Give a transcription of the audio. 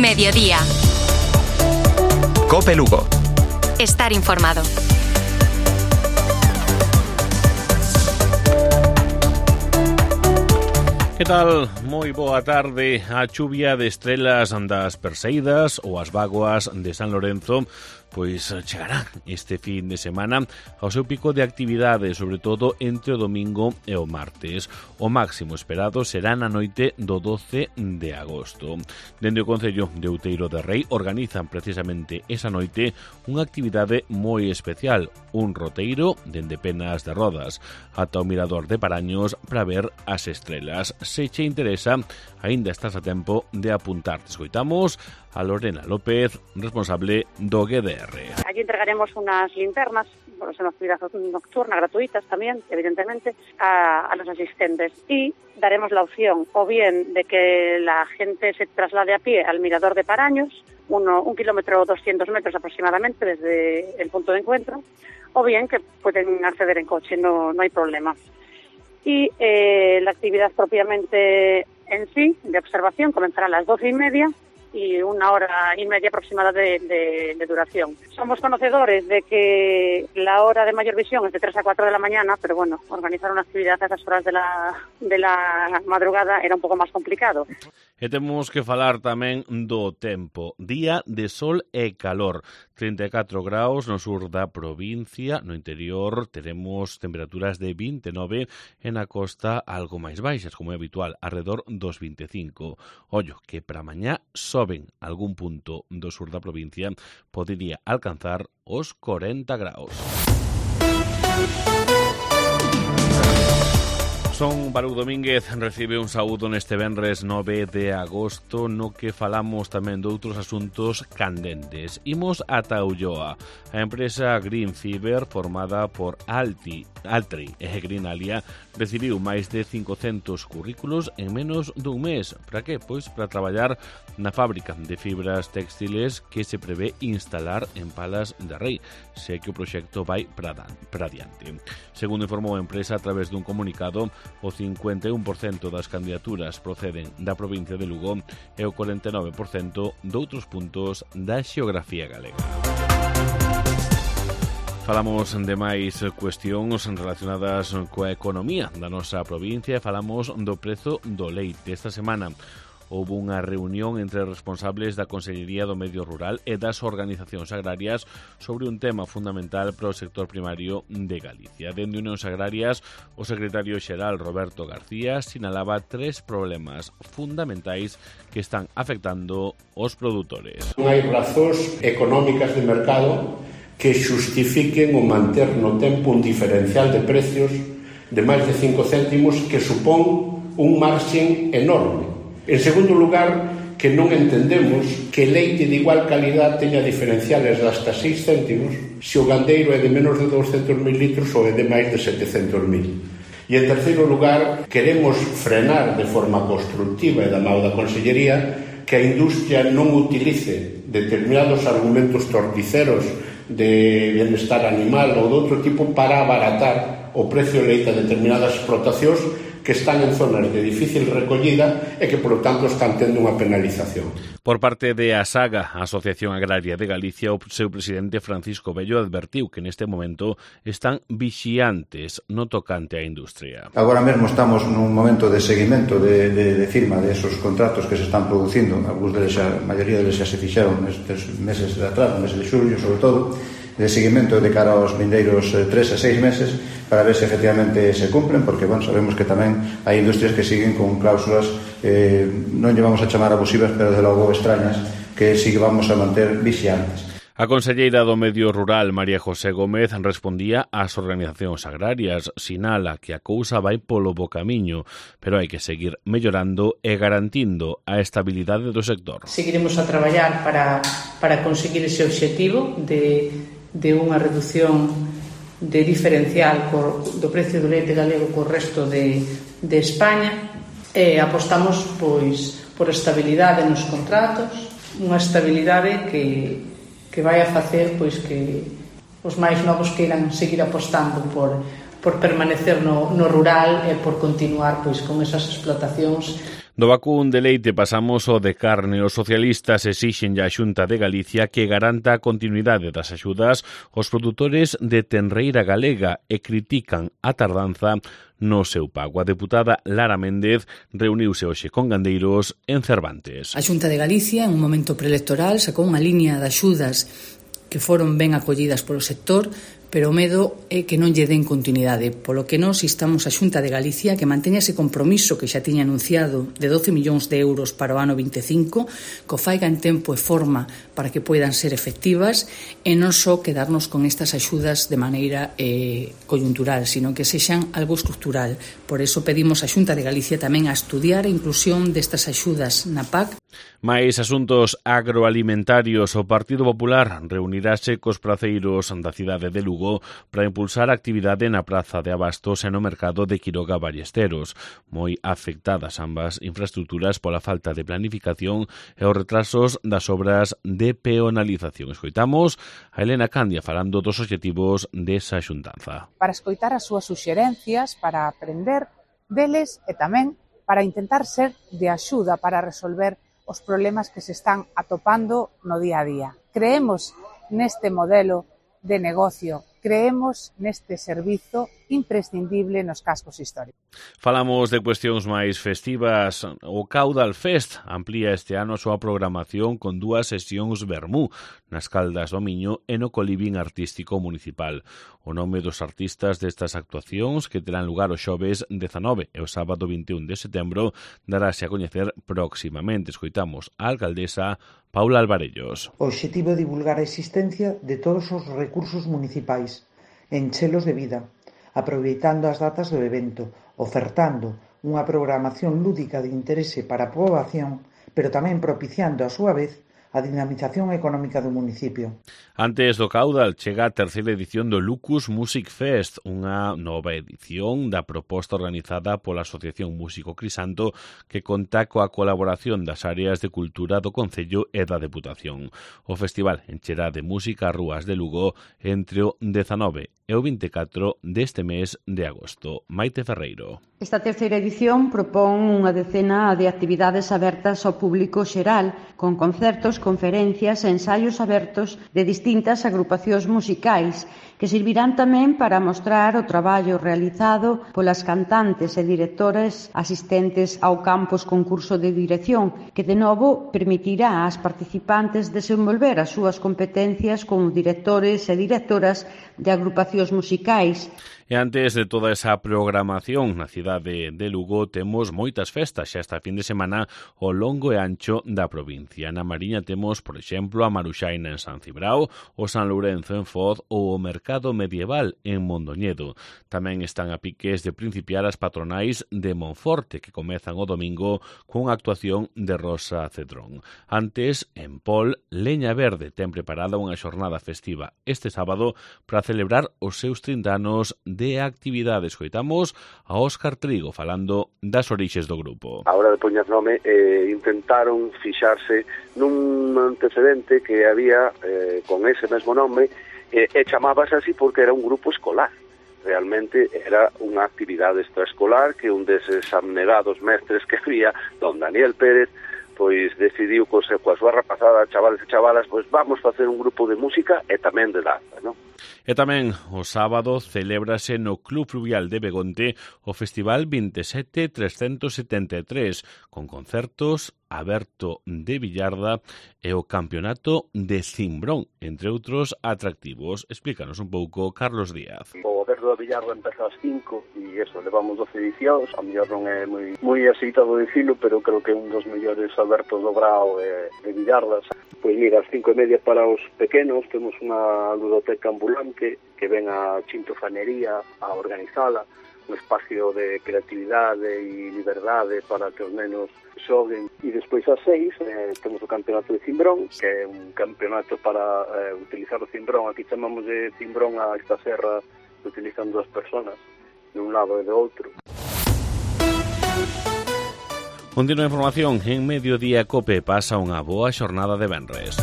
Mediodía. COPE Lugo. Estar informado. Que tal? Moi boa tarde. A chuvia de estrelas das Perseidas ou as vaguas de San Lorenzo pois chegará este fin de semana ao seu pico de actividade, sobre todo entre o domingo e o martes. O máximo esperado será na noite do 12 de agosto. Dende o Concello de Outeiro de Rei organizan precisamente esa noite unha actividade moi especial, un roteiro dende Penas de Rodas ata o Mirador de Paraños para ver as estrelas. Se che interesa, aínda estás a tempo de apuntarte. Escoitamos a Lorena López, responsable do GDR. Aquí entregaremos unas linternas, bueno, es una actividad nocturna, gratuitas también, evidentemente, a los asistentes. Y daremos la opción, o bien de que la gente se traslade a pie al Mirador de Paraños, 1 kilómetro 200 metros aproximadamente desde el punto de encuentro, o bien que pueden acceder en coche, no hay problema. Y la actividad propiamente en sí, de observación, comenzará a las 12:30 y 1 hora y media aproximada de duración. Somos conocedores de que la hora de mayor visión es de 3 a 4 de la mañana, pero bueno, organizar una actividad a esas horas de la madrugada era un pouco máis complicado. E temos que falar tamén do tempo. Día de sol e calor. 34 graus no sur da provincia, no interior teremos temperaturas de 29 e na costa algo máis baixas, como é habitual, alrededor dos 25. Ollo, que para mañá soben algún punto do sur da provincia, podería alcanzar os 40 graus. Son Baruch Domínguez, recibe un saúdo neste venres 9 de agosto no que falamos tamén de outros asuntos candentes. Imos ata Ulloa. A empresa Green Fiber, formada por Altri e Greenalia, recibiu máis de 500 currículos en menos dun mes. Para que? Pois para traballar na fábrica de fibras textiles que se prevé instalar en Palas de Rei, se que o proxecto vai para adiante. Segundo informou a empresa a través dun comunicado, o 51% das candidaturas proceden da provincia de Lugo e o 49% doutros puntos da xeografía galega. Falamos de máis cuestións relacionadas coa economía da nosa provincia e falamos do prezo do leite. Esta semana houve unha reunión entre responsables da Consellería do Medio Rural e das organizacións agrarias sobre un tema fundamental para o sector primario de Galicia. Dende Unións Agrarias, o secretario xeral Roberto García sinalaba 3 problemas fundamentais que están afectando os produtores. Non hai razóns económicas de mercado que xustifiquen o manter no tempo un diferencial de precios de máis de 5 céntimos que supón un marxen enorme. En segundo lugar, que non entendemos que leite de igual calidad teña diferenciales de hasta 6 céntimos se o gandeiro é de menos de 200.000 litros ou é de máis de 700.000. E en terceiro lugar, queremos frenar de forma constructiva e da mão da Consellería que a industria non utilice determinados argumentos torticeros de bienestar animal ou de outro tipo para abaratar o precio de leite a determinadas explotacións que están en zonas de difícil recollida e que, por lo tanto, están tendo unha penalización. Por parte de ASAGA, a Asociación Agraria de Galicia, o seu presidente Francisco Bello advertiu que neste momento están vixiantes no tocante á industria. Agora mesmo estamos nun momento de seguimento de firma de esos contratos que se están producindo, algúns deles, a maioría deles xa se fixeron nestes meses de atrás, no mes de xullo, sobre todo, de seguimento de cara aos vindeiros 3 a 6 meses para ver se efectivamente se cumpren, porque bueno, sabemos que tamén hai industrias que siguen con cláusulas non llevamos a chamar abusivas, pero de logo extrañas, que sí que vamos a manter vixiantes. A conselleira do Medio Rural, María José Gómez, respondía ás organizacións agrarias. Sinala que a cousa vai polo bo camiño, pero hai que seguir mellorando e garantindo a estabilidade do sector. Seguiremos a traballar para conseguir ese obxectivo de unha reducción de diferencial do precio do leite galego co resto de España e apostamos pois por estabilidade nos contratos, unha estabilidade que vai a facer pois que os máis novos queiran seguir apostando por permanecer no rural e por continuar pois con esas explotacións Do vacún de leite pasamos ao de carne. Os socialistas exixen a Xunta de Galicia que garanta a continuidade das axudas aos produtores de tenreira galega e critican a tardanza no seu pago. A deputada Lara Méndez reuniuse hoxe con gandeiros en Cervantes. A Xunta de Galicia, en un momento preelectoral, sacou unha liña de axudas que foron ben acollidas polo sector, pero o medo é que non lle den continuidade, polo que nós instamos a Xunta de Galicia que manteña ese compromiso que xa tiña anunciado de 12 millóns de euros para o ano 25, que o faiga en tempo e forma para que poidan ser efectivas e non só quedarnos con estas axudas de maneira coyuntural, sino que sexan algo estructural. Por eso pedimos a Xunta de Galicia tamén a estudiar a inclusión destas axudas na PAC. Mais asuntos agroalimentarios, o Partido Popular reunirase cos praceiros da cidade de Lugo para impulsar a actividade na praza de abastos e no mercado de Quiroga Ballesteros, moi afectadas ambas infraestructuras pola falta de planificación e os retrasos das obras de peonalización. Escoitamos a Elena Candia falando dos obxectivos desa xuntanza. Para escoitar as súas suxerencias, para aprender deles e tamén para intentar ser de axuda para resolver os problemas que se están atopando no día a día. Creemos neste modelo de negocio, creemos neste servizo imprescindible nos cascos históricos. Falamos de cuestións máis festivas. O Caudal Fest amplía este ano a súa programación con 2 sesións vermú nas Caldas do Miño e no Colibín Artístico Municipal. O nome dos artistas destas actuacións, que terán lugar o xoves 19 e o sábado 21 de setembro, darase a coñecer próximamente. Escoitamos a alcaldesa Paula Alvarellos. O obxectivo é divulgar a existencia de todos os recursos municipais, enchelos de vida, aproveitando as datas do evento, ofertando unha programación lúdica de interese para a poboación, pero tamén propiciando a súa vez a dinamización económica do municipio. Antes do Caudal chega a terceira edición do Lucus Music Fest, unha nova edición da proposta organizada pola Asociación Músico Crisanto que conta coa colaboración das áreas de cultura do Concello e da Deputación. O festival encherá de música as rúas de Lugo entre o 19 e o 24 deste mes de agosto. Maite Ferreiro. Esta terceira edición propón unha decena de actividades abertas ao público xeral, con concertos, conferencias e ensaios abertos de distintas agrupacións musicais, que servirán tamén para mostrar o traballo realizado polas cantantes e directores asistentes ao campus concurso de dirección, que de novo permitirá ás participantes desenvolver as súas competencias como directores e directoras de agrupacións musicais. E antes de toda esa programación na cidade de Lugo temos moitas festas xa esta fin de semana ao longo e ancho da provincia. Na Mariña temos, por exemplo, a Maruxaina en San Cibrao, o San Lourenzo en Foz ou o Mercado Medieval en Mondoñedo. Tamén están a piques de principiar as patronais de Monforte, que comezan o domingo cunha actuación de Rosa Cedrón. Antes, en Pol, Leña Verde ten preparada unha xornada festiva este sábado para celebrar os seus 30 anos de actividades. Escoitamos a Óscar Trigo falando das orixes do grupo. A hora de poñer nome intentaron fixarse nun antecedente que había con ese mesmo nome e chamábase así porque era un grupo escolar. Realmente era unha actividade extraescolar que un deses abnegados mestres que había, don Daniel Pérez, pois decidiu coa súa rapazada, chavales e chavalas, pois vamos facer un grupo de música e tamén de danza, non? E tamén o sábado celébrase no Club Fluvial de Begonte o Festival 27373 con concertos, Aberto de Villarda e o Campeonato de Cimbrón, entre outros atractivos. Explícanos un pouco, Carlos Díaz. O Aberto de Villarda empeza ás 5 e eso, levamos 12 edicións. A mellor non é moi aceitado dicilo, pero creo que é un dos mellores Abertos do Brao de Villardas. Pois mira, ás 5:30 para os pequenos temos unha ludoteca ambulante que ven a Chintofanería a organizala, un espacio de creatividade e liberdade para que os nenos xoguen. E despois ás 6 temos o campeonato de Cimbrón, que é un campeonato para utilizar o cimbrón. Aquí chamamos de cimbrón a esta serra que utilizan 2 personas de un lado e do outro. Continua a información en Mediodía Cope. Pasa unha boa xornada de venres.